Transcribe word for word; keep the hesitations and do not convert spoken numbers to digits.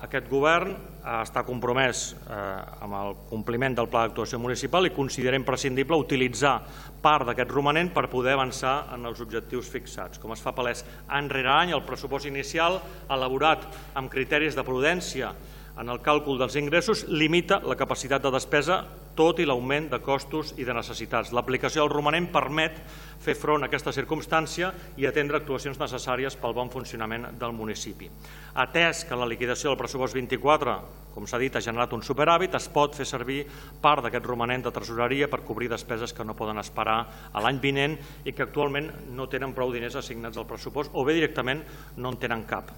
Aquest govern està compromès amb el compliment del Pla d'actuació municipal i considera imprescindible utilitzar part d'aquest romanent per poder avançar en els objectius fixats. Com es fa palès any rere any, el pressupost inicial, elaborat amb criteris de prudència en el càlcul dels ingressos, limita la capacitat de despesa tot i l'augment de costos i de necessitats. L'aplicació del romanent permet fer front a aquesta circumstància i atendre actuacions necessàries pel bon funcionament del municipi. Atès que la liquidació del pressupost vint-i-quatre, com s'ha dit, ha generat un superàvit, es pot fer servir part d'aquest romanent de tresoreria per cobrir despeses que no poden esperar a l'any vinent i que actualment no tenen prou diners assignats al pressupost o bé directament no en tenen cap.